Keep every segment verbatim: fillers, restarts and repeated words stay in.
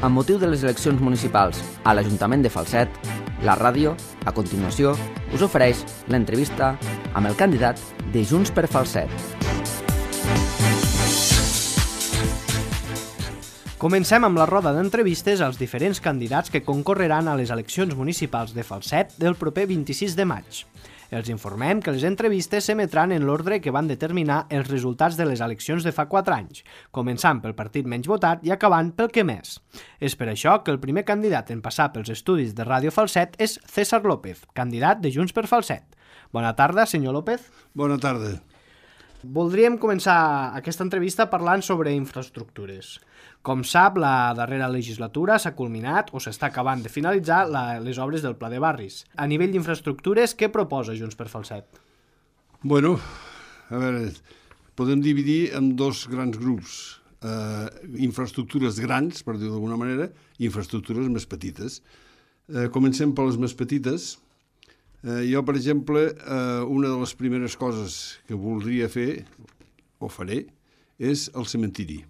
Amb motiu de les eleccions municipals a l'Ajuntament de Falset, la ràdio, a continuació, us ofereix l'entrevista amb el candidat de Junts per Falset. Comencem amb la roda d'entrevistes als diferents candidats que concorreran a les eleccions municipals de Falset del proper vint-i-sis de maig. Els informem que les entrevistes s'emetran en l'ordre que van determinar els resultats de les eleccions de fa quatre anys, començant pel partit menys votat i acabant pel que més. És per això que el primer candidat en passar pels estudis de Ràdio Falset és César López, candidat de Junts per Falset. Bona tarda, senyor López. Bona tarda. Voldríem començar aquesta entrevista parlant sobre infraestructures. Com sap, la darrera legislatura s'ha culminat o s'està acabant de finalitzar la, les obres del Pla de Barris. A nivell d'infraestructures, què proposa Junts per Falset? Bueno, a veure, podem dividir en dos grans grups. Eh, infraestructures grans, per dir-ho d'alguna manera, i infraestructures més petites. Eh, comencem per les més petites. Eh, jo, per exemple, eh, una de les primeres coses que voldria fer, o faré, és el cementiri.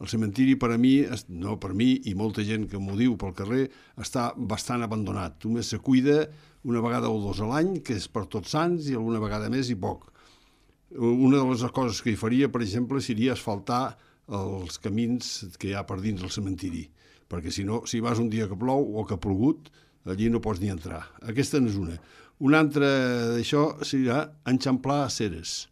El cementiri per a mi, no per mi i molta gent que m'ho diu pel carrer, està bastant abandonat. Només se cuida una vegada o dos a l'any, que és per Tots Sants, i alguna vegada més i poc. Una de les coses que hi faria, per exemple, seria asfaltar els camins que hi ha per dins del cementiri, perquè si no, si vas un dia que plou o que ha plogut, allí no pots ni entrar. Aquesta n'és una. Una altra d'això serà enxamplar aceres.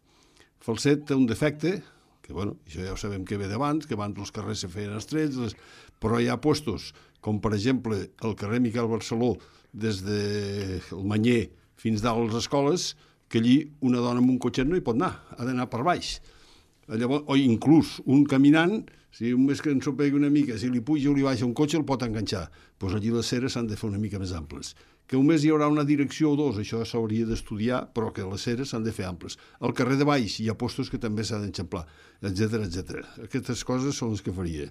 Falset té un defecte, que bueno, això ja ho sabem que ve d'abans, que abans els carrers se feien estrets, les... però hi ha puestos, com per exemple el carrer Miquel Barceló, des del Manyer fins dalt a les escoles, que allí una dona amb un cotxet no hi pot anar, ha d'anar per baix. Llavors, o inclús un caminant, si només que ensopegui una mica, si li puja o li baixa un cotxe el pot enganxar. Doncs allí les ceres s'han de fer una mica més amples. Que només hi haurà una direcció o dos, això s'hauria d'estudiar, però que les ceres s'han de fer amples. Al carrer de baix hi ha postos que també s'han d'enxamplar, etcètera, etcètera. Aquestes coses són les que faria.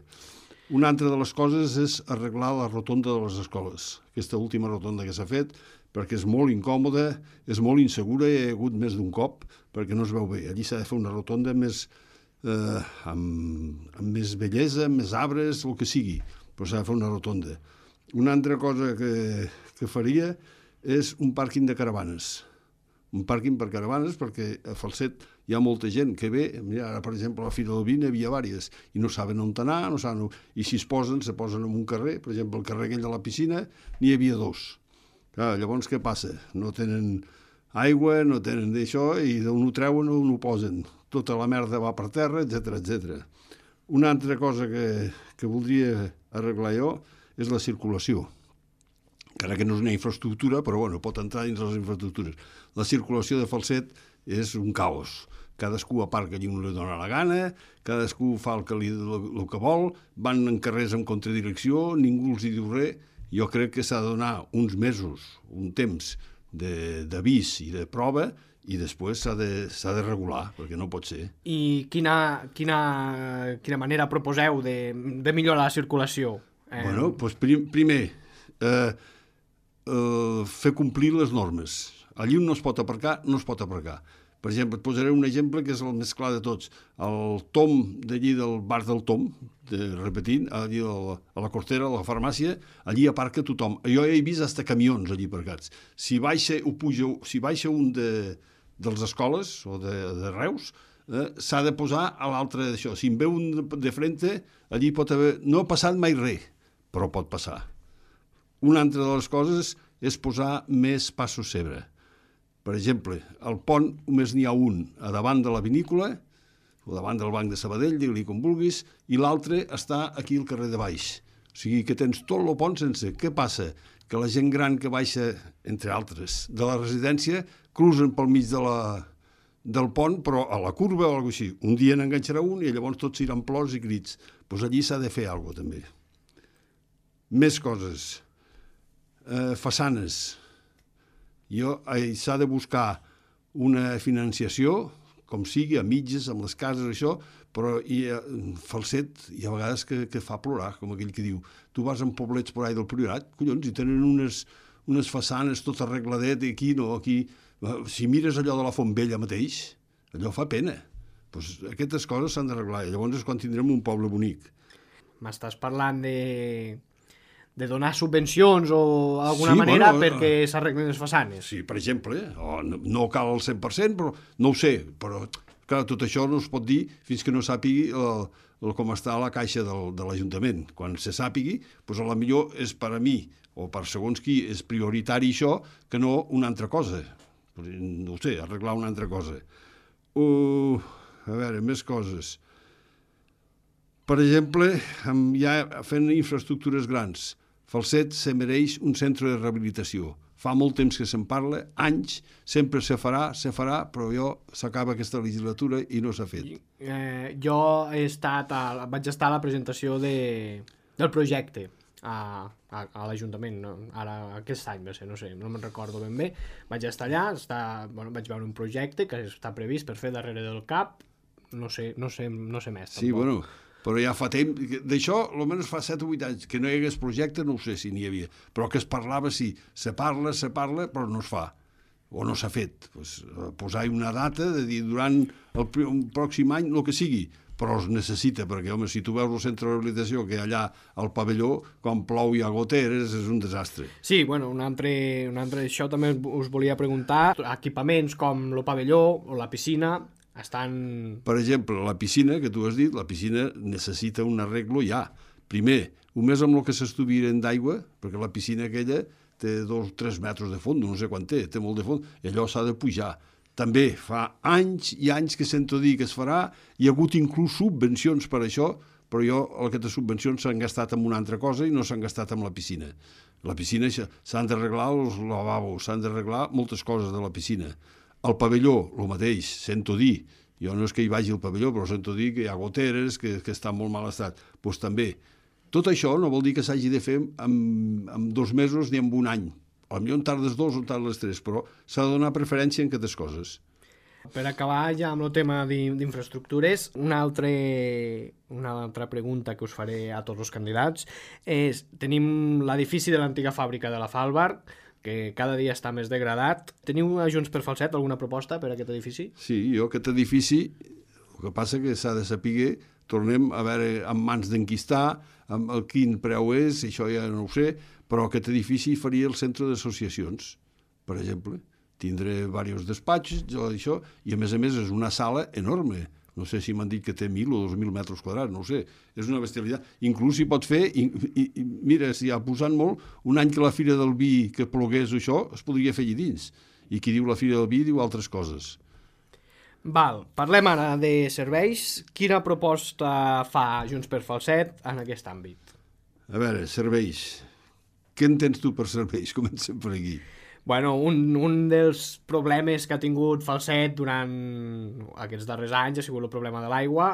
Una altra de les coses és arreglar la rotonda de les escoles. Aquesta última rotonda que s'ha fet, perquè és molt incòmoda, és molt insegura, hi ha hagut més d'un cop, perquè no es veu bé. Allí s'ha de fer una rotonda més, eh, amb, amb més bellesa, amb més arbres, el que sigui, però s'ha de fer una rotonda. Una altra cosa que, que faria és un pàrquing de caravanes. Un pàrquing per caravanes, perquè a Falset hi ha molta gent que ve, mira, ara per exemple a la Fira del Vi n'hi havia diverses, i no saben on anar, no saben on... i si es posen, se posen en un carrer, per exemple el carrer aquell de la piscina, n'hi havia dos. Clar, llavors què passa? No tenen aigua, no tenen d'això, i d'on ho treuen o on ho posen. Tota la merda va per terra, etcètera, etcètera. Una altra cosa que, que voldria arreglar jo és la circulació. Encara que no és una infraestructura, però bueno, pot entrar dins les infraestructures. La circulació de Falset és un caos. Cadascú aparca allí on li dona la gana, cadascú fa el que, li, el, el que vol, van en carrers en contradirecció, ningú els hi diu res. Jo crec que s'ha de donar uns mesos, un temps d'avís i de prova, i després s'ha de, s'ha de regular, perquè no pot ser. I quina, quina, quina manera proposeu de, de millorar la circulació? Eh... Bueno, doncs prim, primer, eh, eh, fer complir les normes. Allí on no es pot aparcar, no es pot aparcar. Per exemple, et posaré un exemple que és el més clar de tots. El Tom d'allí del bar del Tom, de, repetint, allí a la, a la Cortera, a la farmàcia, allí aparca tothom. Jo he vist fins camions allí aparcats. Si baixa, o puja, si baixa un de, dels escoles o de, de Reus, eh, s'ha de posar a l'altre d'això. Si en veu un de, de frente, allí pot haver... No ha passat mai res, però pot passar. Una altra de les coses és posar més passos zebra. Per exemple, al pont només n'hi ha un a davant de la vinícola, o davant del Banc de Sabadell, digue-li com vulguis, i l'altre està aquí al carrer de baix. O sigui que tens tot el pont sense. Què passa? Que la gent gran que baixa, entre altres, de la residència, cruzen pel mig de la, del pont, però a la curva o alguna cosa així. Un dia n'enganxarà un i llavors tots seran plors i crits. Doncs allí s'ha de fer alguna cosa, també. Més coses. Eh, façanes. Jo, eh, s'ha de buscar una financiació, com sigui, a mitges, amb les cases, això, però hi ha, Falset hi ha vegades que, que fa plorar, com aquell que diu, tu vas en poblets por ahí del Priorat, collons, i tenen unes, unes façanes tot arregladet, i aquí no, aquí... Si mires allò de la Font Vella mateix, allò fa pena. Pues aquestes coses s'han d'arreglar, i llavors és quan tindrem un poble bonic. m'estàs parlant de, de donar subvencions o d'alguna Sí, manera bueno, perquè s'arreglen les façanes. Sí, per exemple, o no, no cal al cent per cent, però no ho sé, però clar, tot això no es pot dir fins que no sàpigui el, el com està la caixa del, de l'Ajuntament. Quan se sàpigui, doncs a la millor és per a mi, o per segons qui, és prioritari això que no una altra cosa. No ho sé, arreglar una altra cosa. Uh, a veure, més coses. Per exemple, ja fent infraestructures grans, Falset se mereix un centre de rehabilitació. Fa molt temps que se'n parla, anys, sempre se farà, se farà, però jo s'acaba aquesta legislatura i no s'ha fet. Eh, jo he estat a, vaig estar a la presentació de, del projecte a, a, a l'Ajuntament, no? Ara aquest any va ser, no sé, no me'n recordo ben bé. Vaig estar allà, està, bueno, vaig veure un projecte que està previst per fer darrere del C A P, no sé, no sé, no sé més. Sí, tampoc. bueno, però ja fa temps, d'això almenys fa set o vuit anys, que no hi hagués projecte, no ho sé si n'hi havia, però que es parlava, sí, se parla, se parla, però no es fa, o no s'ha fet. Pues, posar-hi una data, de dir durant el, el pròxim any, el que sigui, però es necessita, perquè, home, si tu veus el centre de rehabilitació, que allà al pavelló, quan plou i ha goteres, és un desastre. Sí, bueno, un altre, un altre, això també us volia preguntar, equipaments com el pavelló o la piscina, estan... Per exemple, la piscina, que tu has dit, la piscina necessita un arreglo ja. Primer, només amb el que s'estuviren d'aigua, perquè la piscina aquella té dos o tres metres de fons, no sé quan té, té molt de fons, i allò s'ha de pujar. També fa anys i anys que sento dir que es farà, hi ha hagut inclús subvencions per això, però jo aquestes subvencions s'han gastat en una altra cosa i no s'han gastat en la piscina. La piscina s'han d'arreglar els lavabos, s'han d'arreglar moltes coses de la piscina. El pavelló, el mateix, sento dir, jo no és que hi vagi al pavelló, però sento dir que hi ha goteres, que, que està en molt mal estat. Doncs també. Tot això no vol dir que s'hagi de fer en, en dos mesos ni en un any. Potser en tardes dos o en tardes tres, però s'ha de donar preferència en aquestes coses. Per acabar ja amb el tema d'infraestructures, una altra, una altra pregunta que us faré a tots els candidats és, tenim l'edifici de l'antiga fàbrica de la Falbar, que cada dia està més degradat. Teniu a Junts per Falset alguna proposta per a aquest edifici? Sí, jo aquest edifici, el que passa que s'ha de saber, tornem a veure en mans d'en qui està, amb el quin preu és, això ja no ho sé, però aquest edifici faria el centre d'associacions, per exemple. Tindré diversos despatxos, això, i a més a més és una sala enorme. No sé si m'han dit que té mil o dos mil metres quadrats, no ho sé. És una bestialitat. Inclús s'hi pot fer, i, i, i mira, si ha posat molt, un any que la Fira del Vi que plogués això, es podria fer allà dins. I qui diu la Fira del Vi diu altres coses. Val, parlem ara de serveis. Quina proposta fa Junts per Falset en aquest àmbit? A veure, serveis. Què entens tu per serveis? Comencem per aquí. Bueno, un, un dels problemes que ha tingut Falset durant aquests darrers anys ha sigut el problema de l'aigua.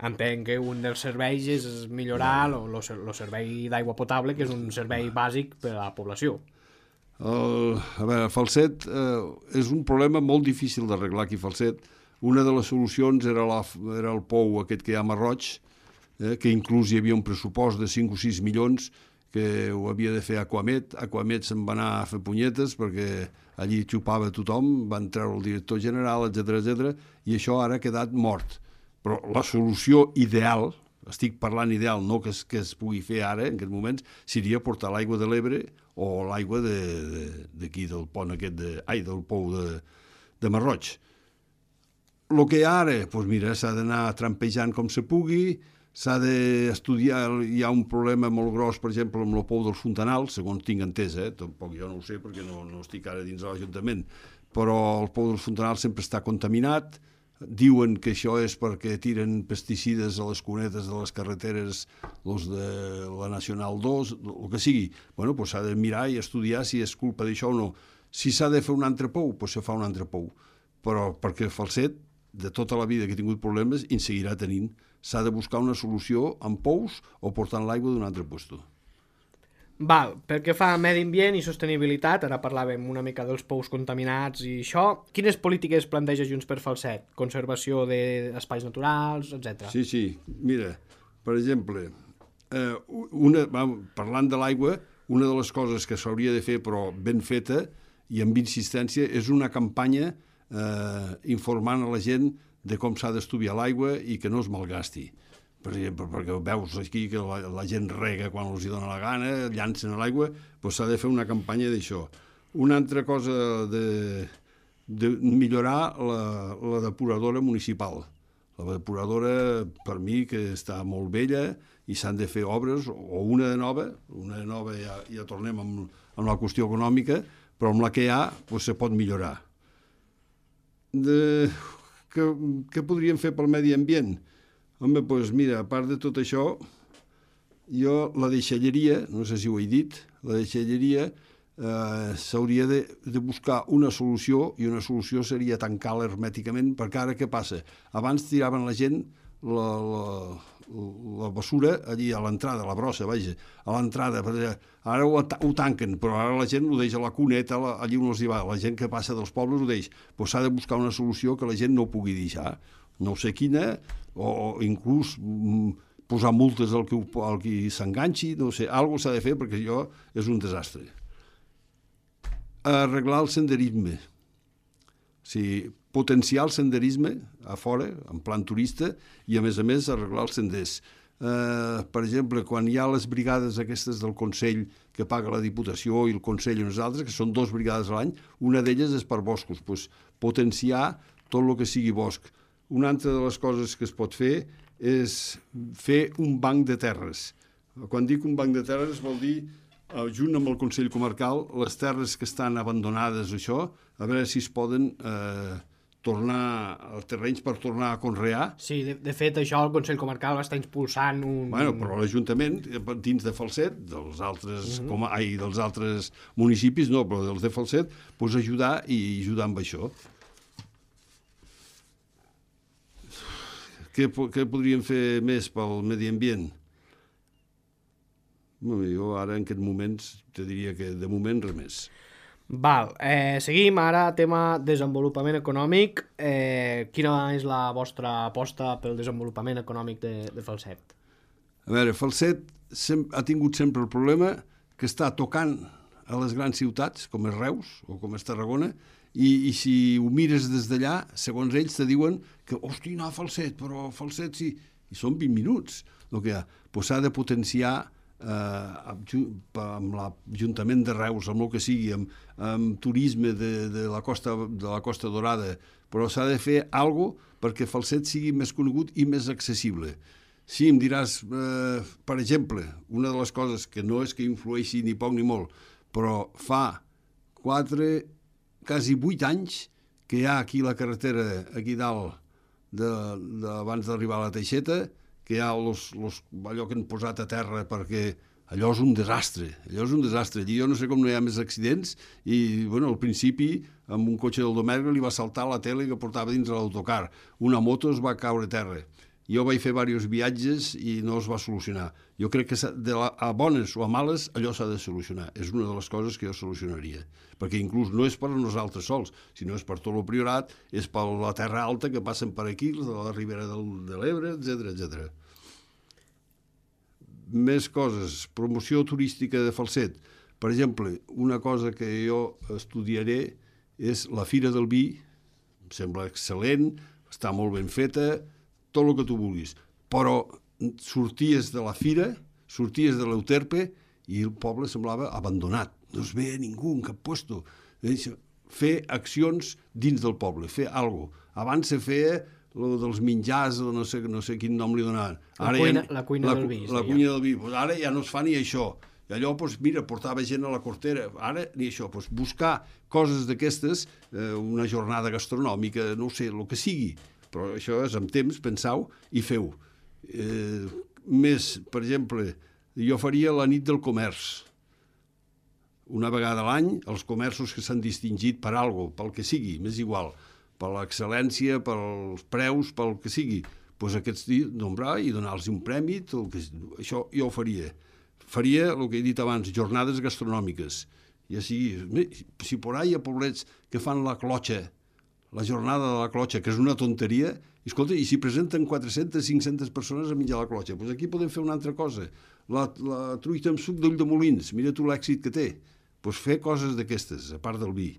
Entenc que un dels serveis és millorar el servei d'aigua potable, que és un servei bàsic per a la població. El, a veure, Falset eh, és un problema molt difícil d'arreglar aquí a Falset. Una de les solucions era, la, era el pou aquest que hi ha a Marroig, eh, que inclús hi havia un pressupost de cinc o sis milions que ho havia de fer Aquamet. Aquamet se'n va anar a fer punyetes perquè allí xupava tothom, van treure el director general, etcètera, etcètera, i això ara ha quedat mort. Però la solució ideal, estic parlant ideal, no que es, que es pugui fer ara, en aquests moments, seria portar l'aigua de l'Ebre o l'aigua d'aquí, de, del pont aquest, de, ai, del pou de, de Marroig. El que ara, doncs mira, s'ha d'anar trampejant com se pugui, s'ha d'estudiar, hi ha un problema molt gros, per exemple, amb el pou dels Fontanals, segons tinc entès, eh? Tampoc jo no ho sé perquè no, no estic ara dins de l'Ajuntament, però el pou dels Fontanals sempre està contaminat, diuen que això és perquè tiren pesticides a les cunetes de les carreteres, els de la Nacional dos, el que sigui. Bueno, doncs s'ha de mirar i estudiar si és culpa d'això o no. Si s'ha de fer un altre pou, doncs se fa un altre pou. Però perquè Falset, de tota la vida que ha tingut problemes, en seguirà tenint. S'ha de buscar una solució amb pous o portant l'aigua d'un altre lloc. Val, pel que fa a medi ambient i sostenibilitat, ara parlàvem una mica dels pous contaminats i això, quines polítiques planteja Junts per Falset? Conservació d'espais naturals, etcètera. Sí, sí, mira, per exemple, eh, una, parlant de l'aigua, una de les coses que s'hauria de fer, però ben feta i amb insistència, és una campanya eh, informant a la gent de com s'ha d'estudiar l'aigua i que no es malgasti. per exemple, perquè veus aquí que la, la gent rega quan els hi dona la gana, llancen a l'aigua, doncs s'ha de fer una campanya d'això. Una altra cosa de, de millorar la, la depuradora municipal. La depuradora, per mi, que està molt vella i s'han de fer obres, o una de nova, una de nova ja, ja tornem amb, amb la qüestió econòmica, però amb la que hi ha doncs, se pot millorar. De, què, què podríem fer pel medi ambient? Home, doncs mira, a part de tot això, jo la deixalleria, no sé si ho he dit, la deixalleria eh, s'hauria de, de buscar una solució, i una solució seria tancar-la hermèticament, perquè ara què passa? Abans tiraven la gent la, la, la bessura allí a l'entrada, la brossa, vaja, a l'entrada. Ara ho, ho tanquen, però ara la gent ho deixa a la cuneta, la, allí on els hi va. La gent que passa dels pobles ho deixa. Doncs s'ha de buscar una solució que la gent no ho pugui deixar. No sé quina, o inclús mm, posar multes al qui, al qui s'enganxi, no sé, alguna cosa s'ha de fer perquè això és un desastre. Arreglar el senderisme. O sigui, potenciar el senderisme a fora, en plan turista, i a més a més arreglar els senders. Eh, per exemple, quan hi ha les brigades aquestes del Consell que paga la Diputació i el Consell i nosaltres, que són dues brigades a l'any, una d'elles és per boscos, doncs, potenciar tot el que sigui bosc. Una altra de les coses que es pot fer és fer un banc de terres. Quan dic un banc de terres vol dir, junt amb el Consell Comarcal, les terres que estan abandonades, això, a veure si es poden eh, tornar als terrenys per tornar a conrear. Sí, de, de fet, això el Consell Comarcal va estar impulsant un... Bueno, però l'Ajuntament, dins de Falset, dels altres, uh-huh. com, ai, dels altres municipis, no, però dels de Falset, doncs ajudar i ajudar amb això. Què, què podríem fer més pel medi ambient? Jo ara, en aquests moments, te diria que de moment res més. Val, eh, seguim ara, tema desenvolupament econòmic. Eh, quina és la vostra aposta pel desenvolupament econòmic de, de Falset? A veure, Falset sem- ha tingut sempre el problema que està tocant a les grans ciutats, com és Reus o com és Tarragona, i, i si ho mires des d'allà, segons ells te diuen que, hosti, anar a Falset, però Falset sí, i són vint minuts el que hi ha. Pues s'ha de potenciar eh, amb l'Ajuntament de Reus, amb el que sigui, amb, amb turisme de, de, la costa, de la Costa Dorada, però s'ha de fer alguna cosa perquè Falset sigui més conegut i més accessible. Sí, em diràs, eh, per exemple, una de les coses que no és que influeixi ni poc ni molt, però fa quatre, quasi vuit anys que hi ha aquí la carretera, aquí dalt, de, de, abans d'arribar a la Teixeta, que hi ha los, los, allò que han posat a terra perquè allò és un desastre, allò és un desastre. Allí jo no sé com no hi ha més accidents i, bueno, al principi, amb un cotxe del Domergue li va saltar la tele que portava dins l'autocar. Una moto es va caure a terra. Jo vaig fer diversos viatges i no es va solucionar. Jo crec que de la, a bones o a males allò s'ha de solucionar. És una de les coses que jo solucionaria. Perquè inclús no és per a nosaltres sols, sinó és per tot el Priorat, és per la terra alta que passen per aquí, de la Ribera del, de l'Ebre, etcètera, etcètera. Més coses. Promoció turística de Falset. Per exemple, una cosa que jo estudiaré és la Fira del Vi. Em sembla excel·lent, està molt ben feta, tot el que tu vulguis. Però sorties de la fira, sorties de l'Euterpe i el poble semblava abandonat. No es veia ningú en cap puesto. Fer accions dins del poble, fer alguna cosa. Abans se feia lo dels menjars, o no sé, no sé quin nom li donaven. La cuina, ja, la cuina la, del vi. La cuina del vi. Pues ara ja no es fa ni això. I allò, pues, mira, portava gent a la cortera. Ara ni això. Pues, buscar coses d'aquestes, eh, una jornada gastronòmica, no ho sé, el que sigui. Però això és amb temps, pensau i feu. Eh, més, per exemple, jo faria la nit del comerç. Una vegada a l'any, els comerços que s'han distingit per alguna cosa, pel que sigui, m'és igual, per l'excel·lència, pels preus, pel que sigui, doncs aquests dies nombrar i donar-los un prèmi, tot el que... això jo ho faria. Faria el que he dit abans, jornades gastronòmiques. Ja sigui, si por ahí hi ha poblets que fan la clotxa, la jornada de la clotxa, que és una tonteria, i escolta, i si presenten quatre-centes, cinc-centes persones a menjar la clotxa, doncs aquí podem fer una altra cosa. La, la truita amb suc d'ull de molins, mira tu l'èxit que té. Doncs fer coses d'aquestes, a part del vi.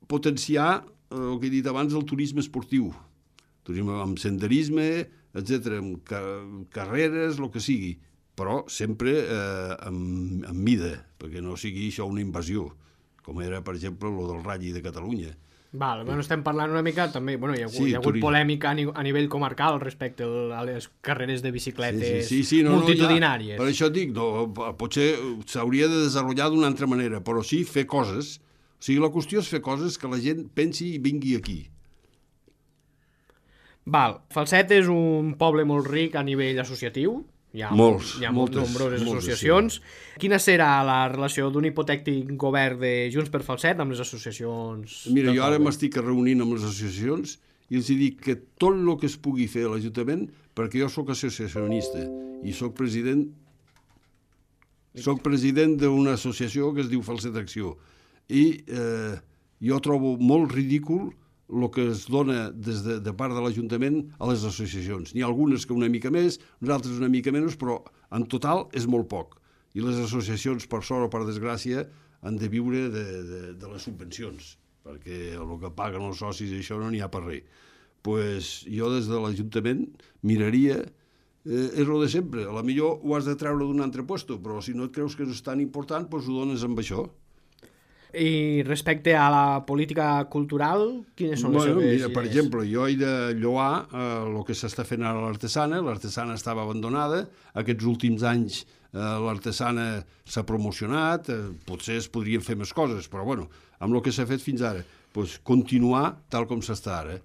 Potenciar, eh, el que he dit abans, el turisme esportiu. Turisme amb senderisme, etcètera, amb ca carreres, el que sigui, però sempre eh, amb, amb mida, perquè no sigui això una invasió, com era, per exemple, el del Rally de Catalunya. Val, bueno, estem parlant una mica també, bueno, hi ha, sí, hi ha hagut turisme. Polèmica a, ni a nivell comarcal respecte a les carreres de bicicletes sí, sí, sí, sí, no, multitudinàries. No, ja, per això dic, no, potser s'hauria de desenvolupar d'una altra manera, però sí fer coses. O sigui, la qüestió és fer coses que la gent pensi i vingui aquí. Val, Falset és un poble molt ric a nivell associatiu. Hi ha, molts, hi ha moltes, nombroses moltes, associacions. Sí. Quina serà la relació d'un hipotètic govern de Junts per Falset amb les associacions? Mira, jo ara m'estic reunint amb les associacions i els dic que tot el que es pugui fer a l'Ajuntament, perquè jo sóc associacionista i sóc president sóc president d'una associació que es diu Falset Acció i eh, jo trobo molt ridícul el que es dona des de, de part de l'Ajuntament a les associacions. N'hi ha algunes que una mica més, uns altres una mica menys, però en total és molt poc. I les associacions, per sort o per desgràcia, han de viure de, de, de les subvencions, perquè el que paguen els socis i això no n'hi ha per res. Pues jo des de l'Ajuntament miraria, eh, és el de sempre, a la millor ho has de treure d'un altre lloc, però si no et creus que és tan important, pues ho dones amb això. I respecte a la política cultural, quines són les bueno, seves mira, idees? Per exemple, jo he de lloar eh, el que s'està fent ara a l'artesana. L'artesana estava abandonada. Aquests últims anys eh, l'artesana s'ha promocionat. Eh, potser es podrien fer més coses, però bueno, amb el que s'ha fet fins ara, pues, continuar tal com s'està ara.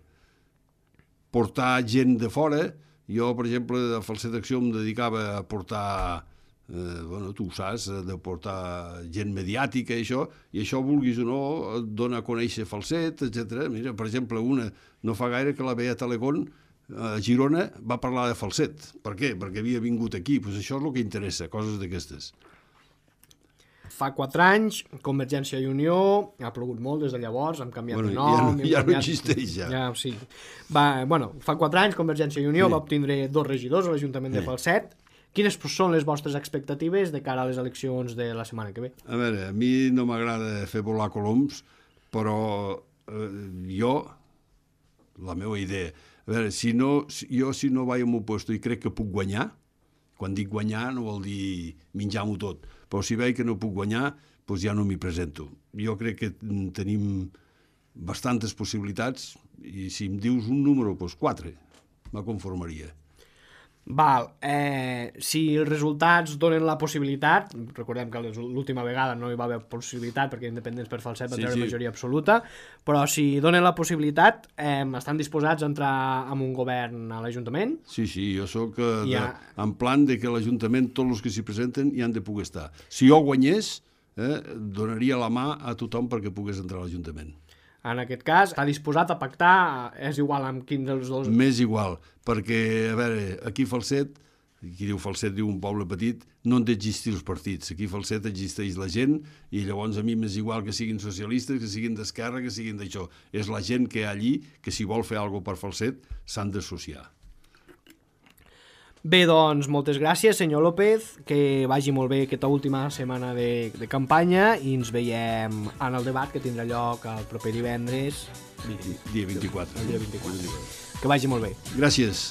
Portar gent de fora. Jo, per exemple, de Falset Acció em dedicava a portar... Eh, bueno, tu ho saps, de portar gent mediàtica i això, i això, vulguis o no, et dona a conèixer Falset, etcètera. Mira, per exemple, una, no fa gaire que la Beata Legón a Girona va parlar de Falset. Per què? Perquè havia vingut aquí. Pues això és el que interessa, coses d'aquestes. Fa quatre anys, Convergència i Unió, ha plogut molt des de llavors, hem canviat bueno, de nom... Ja, no, ja canviat... no existeix, ja. ja sí. Va, bueno, fa quatre anys, Convergència i Unió sí. va obtindre dos regidors a l'Ajuntament sí. de Falset. Quines són les vostres expectatives de cara a les eleccions de la setmana que ve? A veure, a mi no m'agrada fer volar coloms, però eh, jo, la meva idea, a veure, si no, jo si no vaig al meu lloc i crec que puc guanyar, quan dic guanyar no vol dir menjar-m'ho tot, però si veig que no puc guanyar, doncs ja no m'hi presento. Jo crec que tenim bastantes possibilitats i si em dius un número, doncs quatre, me conformaria. Val, eh, si els resultats donen la possibilitat, recordem que l'última vegada no hi va haver possibilitat perquè Independents per Falset va sí, treure sí. majoria absoluta, però si donen la possibilitat, eh, estan disposats a entrar en un govern a l'Ajuntament? Sí, sí, jo sóc eh, de, ja... en plan de que l'Ajuntament, tots els que s'hi presenten, hi han de poder estar. Si jo guanyés, eh, donaria la mà a tothom perquè pogués entrar a l'Ajuntament. En aquest cas, està disposat a pactar, és igual amb quin dels dos... Més igual, perquè, a veure, aquí Falset, qui diu Falset diu un poble petit, no han d'existir els partits. Aquí Falset existeix la gent i llavors a mi m'és igual que siguin socialistes, que siguin d'esquerra, que siguin d'això. És la gent que hi ha allí, que si vol fer alguna cosa per Falset, s'han d'associar. Bé, doncs, moltes gràcies, senyor López, que vagi molt bé aquesta última setmana de, de campanya i ens veiem en el debat que tindrà lloc el proper divendres. Dia vint-i-quatre. El dia vint-i-quatre. Que vagi molt bé. Gràcies.